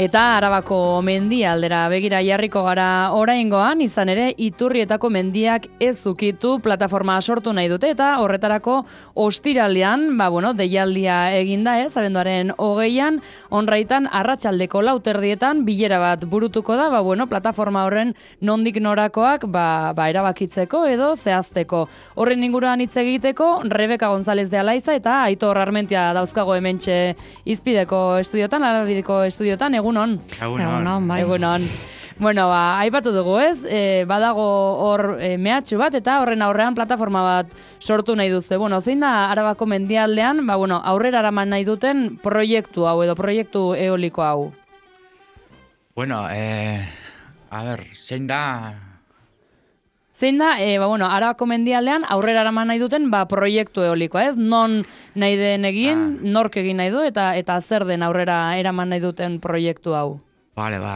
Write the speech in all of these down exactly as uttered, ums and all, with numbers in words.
Eta Arabako mendia aldera begira jarriko gara oraingoan, izan ere Iturrietako mendiak ez ukitu plataforma sortu nahi dute eta horretarako ostiralean, ba bueno, deialdia eginda ez, abenduaren hogeian, onraitan arratsaldeko lauterdietan bilera bat burutuko da, ba bueno, plataforma horren nondik norakoak ba, ba erabakitzeko edo zehazteko. Horren inguruan hitz egiteko, Rebeka González de Alaiza eta Aitor Armentia dauzkago hementxe Izpideko estudiotan, Alabideko estudiotan, egunon. Egunon, bai. Egunon. Bueno, ba, aipatu dugu ez, e, badago hor e, mehatxu bat eta horren aurrean plataforma bat sortu nahi duzu. Bueno, zein da Arabako mendialdean, ba, bueno, aurrera eraman nahi duten proiektu hau edo proiektu eoliko hau? Bueno, eh, a ber, zein da... Zein da, e, ba, bueno, Arabako mendialdean aurrera eraman nahi duten ba, proiektu eolikoa, ez? Non nahi den egin, ah. nork egin nahi du, eta eta zer den aurrera eraman nahi duten proiektu hau? Bale, ba,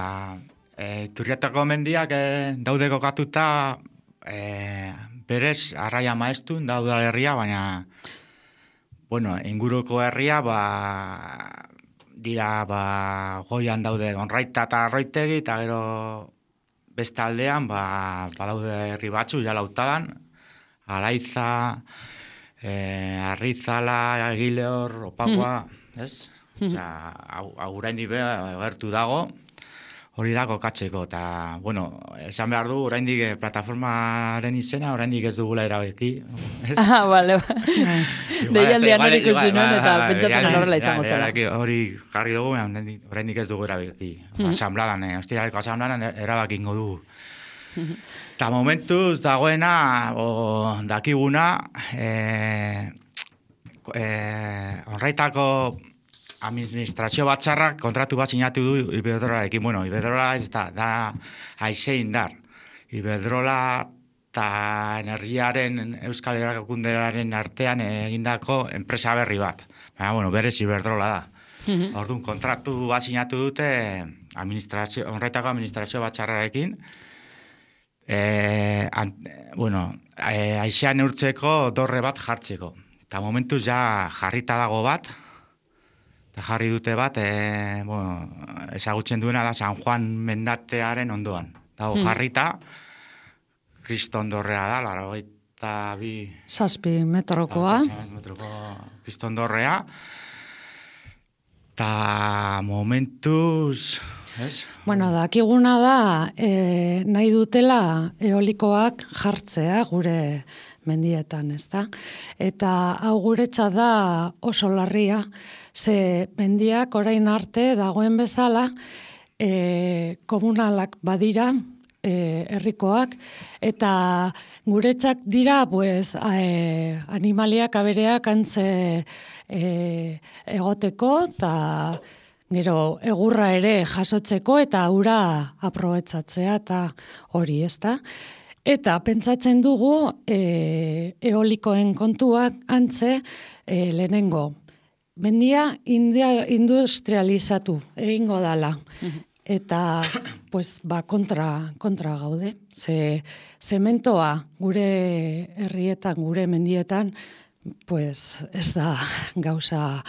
e, Iturrietako mendiak e, daude kokatuta e, berez arraia maestun da udalerria, baina bueno, inguruko herria ba, dira ba, goian daude Onraita eta Arroitegi, eta gero beste aldean, ba, badaude herri batzu, ja lautadan, Alaiza, eh, Arrizala, Egileor, Opagua, mm. ez? Mm. Osea, oraindik gertu dago, hori da kokatzeko, eta, bueno, esan behar du, oraindik plataformaren izena, oraindik ez dugula erabaki, ez? Ah, bale, bale. Deialdean hori ikusi nuen, eta pentsatzen horrela izango zela. Hori jarri dugu, oraindik ez dugu erabaki. Asambladan, ostiraleko asambladan erabakingo dugu. Eta momentuz dagoena, o dakiguna, Onraitako administrazio batzarrak kontratu bat sinatu du Iberdrolarekin. Bueno, Iberdrola ez da, da haize indar. Iberdrola eta energiaren Euskal Erakundearen artean egindako enpresa berri bat. Baina, bueno, berez Iberdrola da. Mm-hmm. Orduan, kontratu bat sinatu dute administrazio, Onraitako administrazio batzarrarekin. E, an, bueno, e, haizea neurtzeko dorre bat jartzeko. Eta momentuz ja jarrita dago bat, eta jarri dute bat, e, bueno, ezagutzen duena da San Juan mendatearen ondoan. Dago hmm. jarrita, kristondorrea da, laurogeita bi... Zazpi metrokoa. Metroko kristondorrea. Eta momentuz... Es? Bueno, dakiguna da, e, nahi dutela eolikoak jartzea gure mendietan, ez da? Eta hau guretzat da oso larria, ze mendiak orain arte dagoen bezala e, komunalak badira, e, herrikoak, eta guretzak dira pues, e, animaliak abereak antze e, egoteko, eta gero egurra ere jasotzeko eta ura aprobetzatzea eta hori, ezta? Eta pentsatzen dugu e, eolikoen kontuak antze e, lehenengo. Mendia india, industrializatu egingo dala. Eta pues, ba, kontra, kontra gaude. Ze zementoa gure herrietan, gure mendietan, pues ez da gauza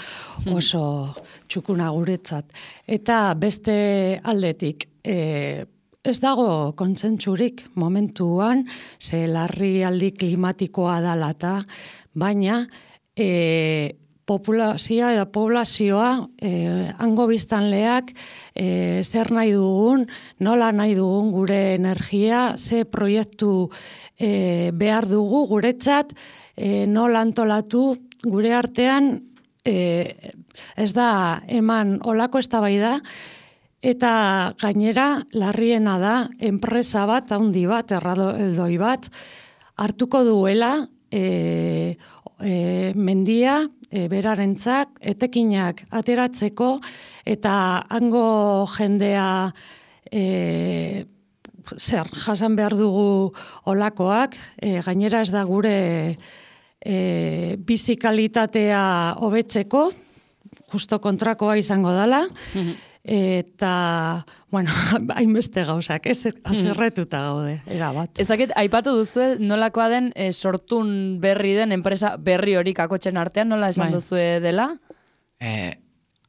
oso txukuna guretzat. Eta beste aldetik, e, ez dago kontsentsurik momentuan, ze larrialdi klimatikoa dalata, baina e, populazioa eta poblazioa, e, hango biztanleak, e, zer nahi dugun, nola nahi dugun gure energia, ze proiektu e, behar dugu guretzat, E, nola antolatu gure artean e, ez da eman olako eztabaida eta gainera larriena da enpresa bat, handi bat, erraldoi bat hartuko duela e, e, mendia e, berarentzak etekinak ateratzeko eta hango jendea e, zer, jasan behar dugu olakoak, e, gainera ez da gure e, bizikalitatea hobetzeko, justo kontrakoa izango dela, mm-hmm. eta, bueno, hainbeste gauzak, ez azerretuta gaude, erabat. Ezakit, aipatu duzu nolakoa den e, sortun berri den enpresa berri hori kakotxen artean, nola esan bai. Duzue dela? Eh,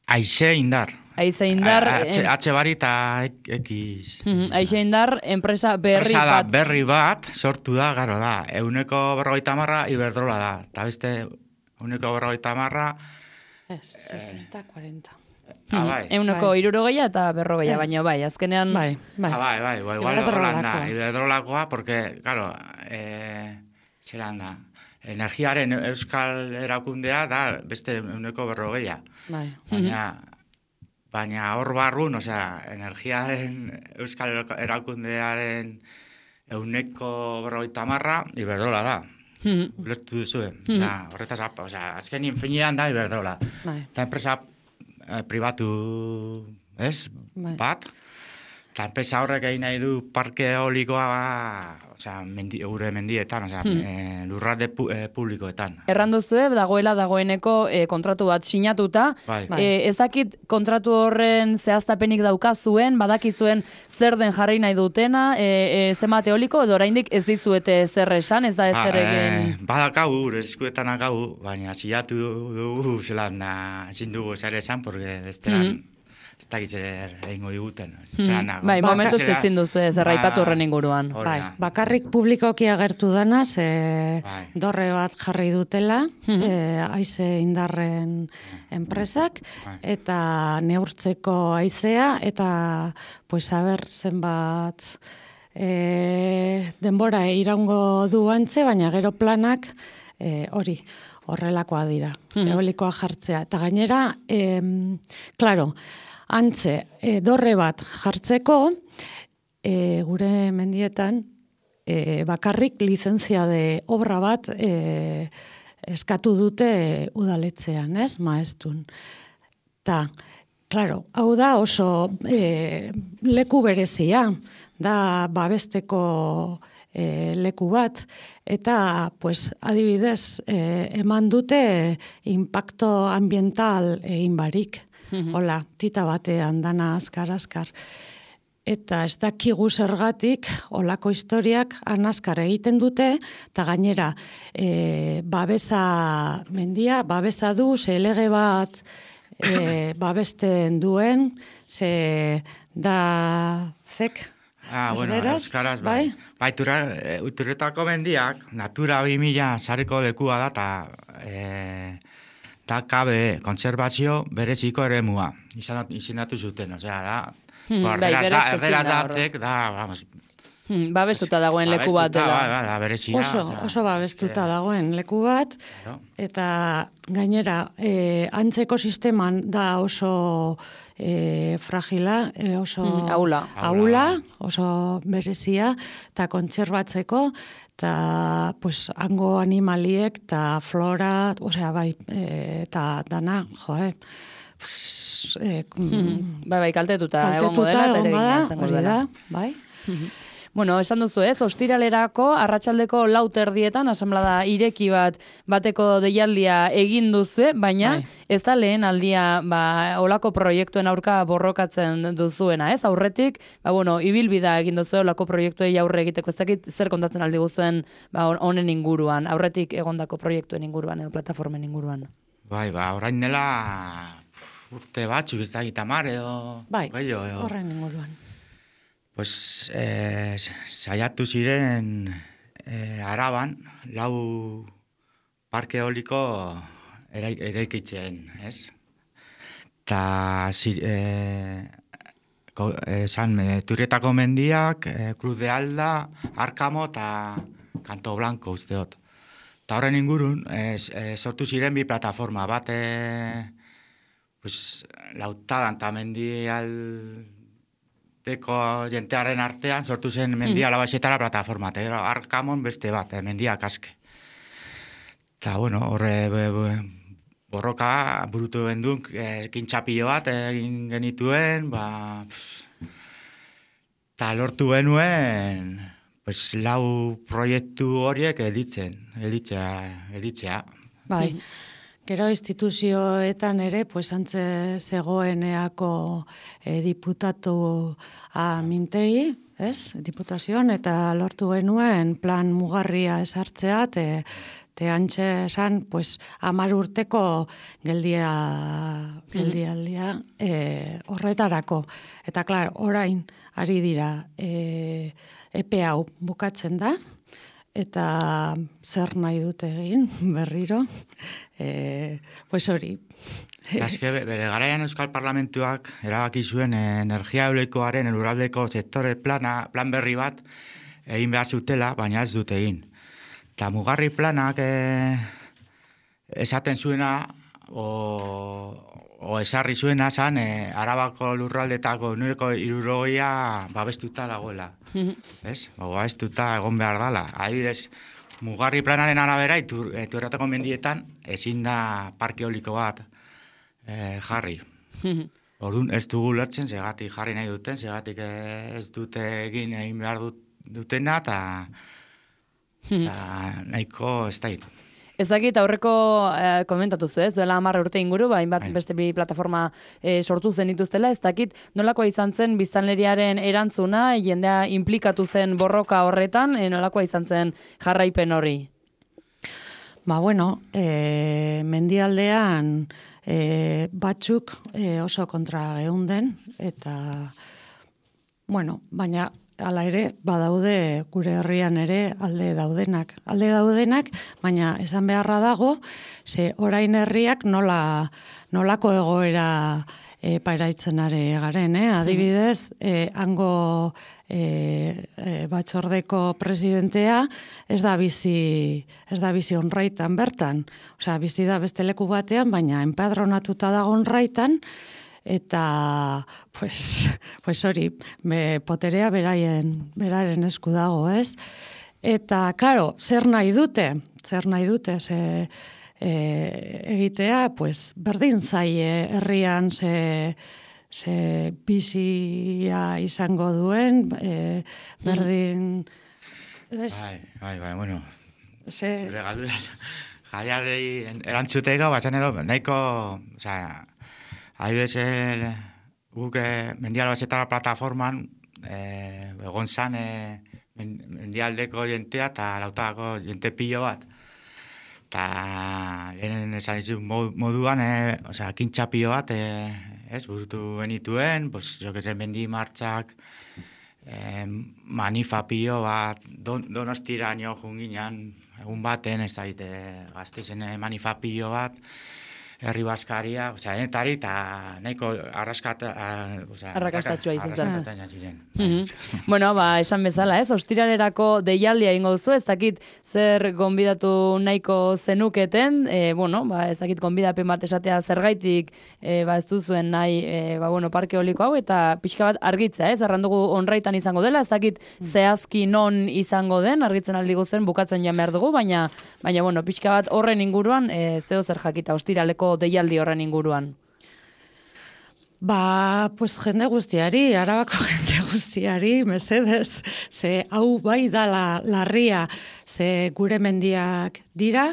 Aize indar, Aize Indar... Atxe bari eta ekiz. Aize Indar, enpresa berri enpresa da, bat. berri bat, sortu da, garo da. Euneko berrogeita marra, Iberdrola da. Eta beste, euneko berrogeita marra... Ez, sesenta, cuarenta. Ah, bai. Euneko bai. irurogeia eta berrogeia, baina bai, azkenean... Bai, bai. Ah, bai, bai, bai, igual horrelan da. Iberdrolakoa, porque, claro, eh, zelan da, energiaren euskal erakundea da beste euneko berrogeia. Bai. Baina... Baina hor barrun, osea, energiaren euskal erakundearen euneko berrogeita marra, Iberdrola da. Mm-hmm. Lertu duzu, osea, horretaz, osea, azken infinean da Iberdrola. Bai. Eta enpresa eh, pribatu, ez, Bai. bat, eta enpresa horrek egin nahi du parke eolikoa, osea, mendi, gure mendietan, osea, Hmm. eh, lurralde pu, eh, publikoetan. Erranduzue, dagoela dagoeneko eh, kontratu bat sinatuta. Bai. Bai. Eh, ezakit kontratu horren zehaztapenik daukazuen, badakizuen zer den jarri nahi dutena, e, e, zenbat eoliko, edo oraindik ez dizuete zer esan, ez da ez Ba, zer egin... eh, badakagu, gure eskuetan akagu, baina zilatu dugu zelan da, ezin dugu zer esan, porque bestelan ez dakit zer egingo diguten. Zelan da, Bai, baka- momentuz zera- ezin duzu ez erraipatu Ba, horren inguruan. hori Bai, da. bakarrik publikoki agertu dana, ze Bai. dorre bat jarri dutela, eh, Aize Indarren enpresak, Bai. eta neurtzeko haizea, eta pues aber zenbat eh, denbora iraungo du antze, baina gero planak eh, hori horrelakoa dira, eolikoa jartzea. Eta gainera, em, claro, antze, e, dorre bat jartzeko, e, gure mendietan, e, bakarrik lizentzia de obra bat e, eskatu dute udaletzean, ez, maestun. Ta, claro, hau da oso e, leku berezia, da babesteko e, leku bat, eta, pues, adibidez, e, eman dute impacto ambiental egin barik. Hola, tita batean dana azkar-azkar. Eta ez dakigu zergatik, olako historiak anaskar egiten dute, eta gainera, e, babesa mendia, babesa du, ze lege bat e, babesten duen, ze da zek, Ah, bueno, erderaz, euskaraz, bai. bai? Bai, tura, e, uturretako mendiak, Natura bi mila sareko lekua da, eta e, da K B E, kontserbazio bereziko eremua, izan, izendatu zuten, osea, da, Hmm, Ba, bai, erderaz da, berez ezin erderaz da, da, ordu. tek, da, vamos, Hmm, babestuta dagoen leku bat babestuta, dela. bai, bai, da, berezia. Oso, osea, oso babestuta eske, dagoen leku bat, claro. eta gainera, e, antzeko sisteman da oso e, fragila, e, oso Mm, ahula. ahula, oso berezia, eta kontserbatzeko, eta pues, hango animaliek, eta flora, osea, bai, e, eta dana, jo, eh, pues, e, Hmm, bai, bai, kaltetuta, egongo kaltetuta dela, eta ere egongo egina da, izango hori dela. da, bai. Bueno, esan duzu ez, ostiralerako, arratsaldeko lau terdietan, asamblada ireki bat bateko deialdia egin duzu, baina Bai. ez da lehen aldia ba, olako proiektuen aurka borrokatzen duzuena, ez? Aurretik, ba, bueno, ibilbida egin duzu olako proiektuei aurre egiteko, ez dakit zer kontatzen aldi guzuen ba, honen inguruan, aurretik egondako proiektuen inguruan edo plataformen inguruan. Bai, ba, orain dela urte batzuk ez da gitamar edo... Bai, gehiago, edo. horren inguruan. Pues, eh, saiatu ziren eh, Araban, lau parke eoliko eraik, eraikitzen, ez? Ta, zir, eh, ko, eh, san, eh, Turrietako mendiak, eh, Cruz de Alda, Arkamo eta Kanto Blanco usteot. Ta horren ingurun, eh, eh, sortu ziren bi plataforma, bat, eh, pues, Lautadan eta mendial... Deko jentearen artean sortu zen mendia alabaxetara plataforma, eta gero Arkamon beste bat, eh, mendiak aske. Eta, bueno, horre be, be, borroka burutu gendun, eh, kintxapillo bat egin genituen, ba, eta lortu genuen, pues, lau proiektu horiek editzen, editzea, editzea. Bai. Gero instituzioetan ere, pues, antze zegoen eako e, diputatu amintegi, ez, diputazioan, eta lortu genuen plan mugarria esartzea, Te antxe esan, pues, amar urteko geldia, geldialdia e, horretarako. Eta, klar, orain ari dira e, epe hau bukatzen da, eta zer nahi dute egin, berriro, e, pues hori. Azke, bere garaian Euskal Parlamentuak erabaki zuen energia eolikoaren lurraldeko sektore plana, plan berri bat egin behar zutela, baina ez dute egin. Eta mugarri planak eh, esaten zuena, o, o esarri zuena zan, eh, Arabako lurraldetako nureko irurogia babestuta dagoela. Ez? O babestuta egon behar dala. Adibidez, mugarri planaren arabera, iturrateko mendietan, ezin da parke eoliko bat eh, jarri. Orduan ez dugu lertzen, segatik jarri nahi duten, segatik ez dute egin egin behar dut, dutena, eta Ta, nahiko ez da hitu. Ez dakit aurreko eh, komentatu zu, ez? Duela hamar urte inguru, ba, hainbat beste bi plataforma eh, sortu zen dituztela, ez dakit nolakoa izan zen biztanleriaren erantzuna, jendea implikatu zen borroka horretan, eh, nolakoa izan zen jarraipen hori? Ba, bueno, e, mendialdean e, batzuk e, oso kontra geunden, eta, bueno, baina hala ere, badaude gure herrian ere alde daudenak. Alde daudenak, baina esan beharra dago, ze orain herriak nola, nolako egoera e, pairaitzen ari garen, eh? Adibidez, e, hango e, e, batzordeko presidentea ez da bizi, ez da bizi onraitan bertan. Osea, bizi da beste leku batean, baina enpadronatuta dago onraitan, eta pues, pues hori, be, poterea beraien, beraren esku dago, ez? Eta, claro, zer nahi dute? Zer nahi dute? Ze, e, egitea, pues, berdin zaie herrian ze, ze bizia izango duen, e, berdin... Ez? Bai, bai, bai, bueno. Ze... Zure galdura, jaiarei erantzuteko, bazen edo, nahiko, osea, Haibez, guk eh, mendial bazetara plataforman, eh, egon zan eh, mendialdeko jentea eta lautako jente pilo bat. Eta lehenen esan dizu moduan, eh, osea, kintxa pilo bat, eh, ez, burutu benituen, pues, jo que se mendi martxak, eh, manifa pilo bat, don, donostira nio junginan, egun baten, ez da, gaztezen eh, manifa pilo bat, herri baskaria, osea, enetari, eta nahiko arraskata... Arrakastatxua izan zen. Arrakastatxua ziren. Bueno, ba, esan bezala, ez? Ostiralerako deialdia ingo duzu, ez dakit zer gonbidatu nahiko zenuketen, e, bueno, ba, ez dakit gonbidapen bat esatea zergaitik, e, ba, ez duzuen nahi, e, ba, bueno, parke eoliko hau, eta pixka bat argitzea, ez? Arrandugu onraitan izango dela, ez dakit zehazki non izango den, argitzen aldi guzuen, bukatzen joan behar dugu, baina, baina, bueno, pixka bat horren inguruan, e, zeo zer jakita, ostiraleko deialdi horren inguruan? Ba, pues jende guztiari, Arabako jende guztiari, mesedez, ze hau bai da la, larria, ze gure mendiak dira,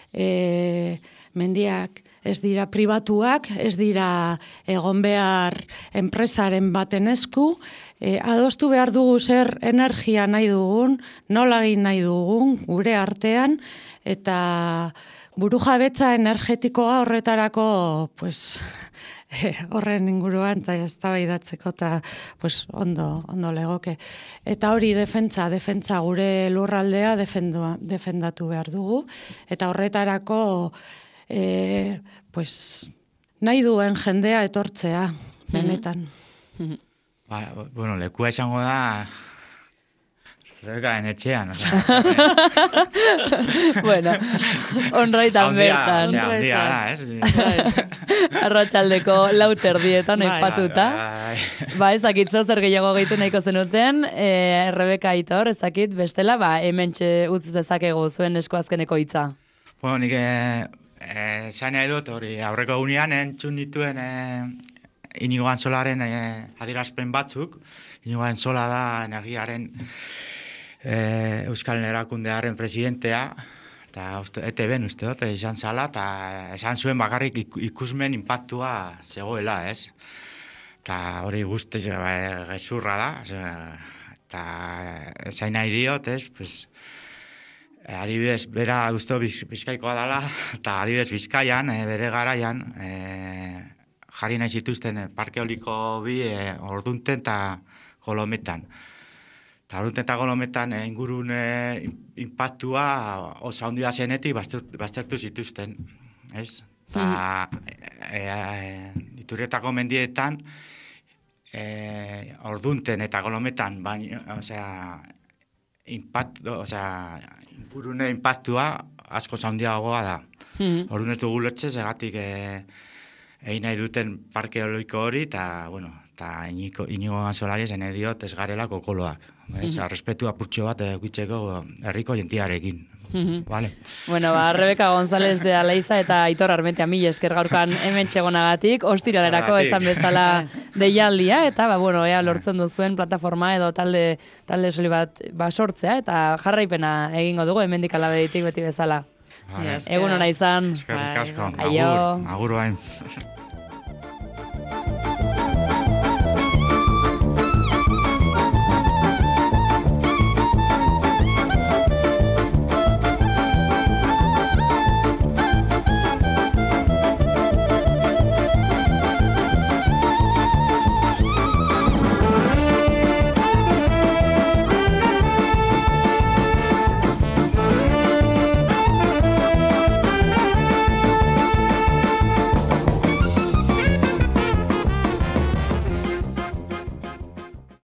e, mendiak ez dira pribatuak, ez dira egon behar enpresaren baten esku, e, adostu behar dugu zer energia nahi dugun, nola egin nahi dugun, gure artean, eta burujabetza energetikoa horretarako, pues, horren inguruan, eta eztabaidatzeko, eta pues, ondo, ondo legoke. Eta hori defentsa, defentsa gure lurraldea defendua, defendatu behar dugu, eta horretarako e, pues, nahi duen jendea etortzea, benetan. Ba, bueno, lekua izango da... Rebekaren etxean, o sea, bueno, onraitan bertan. Ondia, ondia da, ez? Arratxaldeko lauter dietan aipatuta. Ba, ezakitzo zer gehiago gehitu nahiko zenuten, e, Rebeka Aitor, ezakit, bestela, ba, hementxe utz dezakegu zuen esko azkeneko hitza. Bueno, nik e, zain nahi dut, hori, aurreko gunean entzun dituen e, Inigo Anzolaren e, adierazpen batzuk. Inigo Anzola da energiaren E, Euskal Erakundearen presidentea, eta E T B-en uste dut, izan zala, eta esan zuen bakarrik ikusmen impactua zegoela, ez? Eta hori guztiz gezurra da, eta esain nahi diot, ez? Pues, E, adibidez, bera uste biz, bizkaikoa dela, eta adibidez Bizkaian, e, bere garaian, e, jarri nahi zituzten e, parke eoliko bi e, Ordunten eta Kolometan. Eta Ordunten eta Kolometan e, ingurun e, impactua oso handia zenetik baztertu, baztertu zituzten, ez? Eta e, e, Iturrietako mendietan, e, Ordunten eta Kolometan, baina, osea, impact, osea, ingurune impactua asko handiagoa da. Mm-hmm. Orduan ez dugu lotxe, segatik e, egin nahi duten parke eoliko hori, eta, bueno, eta Inigo Anzolari zen diot ez garela kokoloak. Mm-hmm. Respetu apurtxo bat egitzeko herriko jentiarekin. Mm-hmm. Vale. Bueno, ba, Rebeka González de Aleiza eta Aitor Armentia mila esker gaurkan hemen txegonagatik, ostiralerako esan bezala deialdia, eta ba, bueno, ea lortzen duzuen plataforma edo talde talde soli bat ba, sortzea, eta jarraipena egingo dugu hemendik alabeditik beti bezala. Vale. Egun ona izan. Eskerrik asko. Aio. Agur, agur bain.